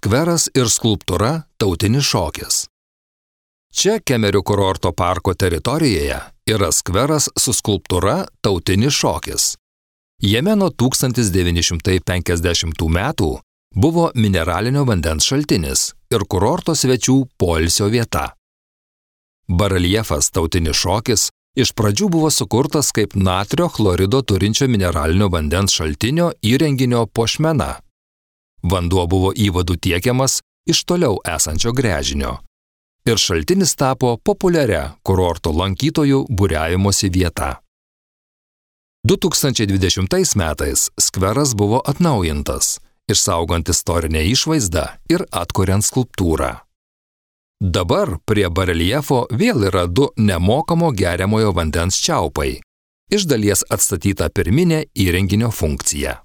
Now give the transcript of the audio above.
Skveras ir skulptūra Tautinis šokis. Čia Kemerių kurorto parko teritorijoje yra skveras su skulptūra Tautinis šokis. Jame nuo 1950 metų buvo mineralinio vandens šaltinis ir kurorto svečių poilsio vieta. Bareljefas Tautinis šokis iš pradžių buvo sukurtas kaip natrio chlorido turinčio mineralinio vandens šaltinio įrenginio puošmena. Vanduo buvo įvadų tiekiamas iš toliau esančio gręžinio. Ir šaltinis tapo populiaria kurorto lankytojų būriavimosi vieta. 2020 metais skveras buvo atnaujintas, išsaugant istorinę išvaizdą ir atkuriant skulptūrą. Dabar prie bareljefo vėl yra 2 nemokamo geriamojo vandens čiaupai, iš dalies atstatyta pirminė įrenginio funkcija.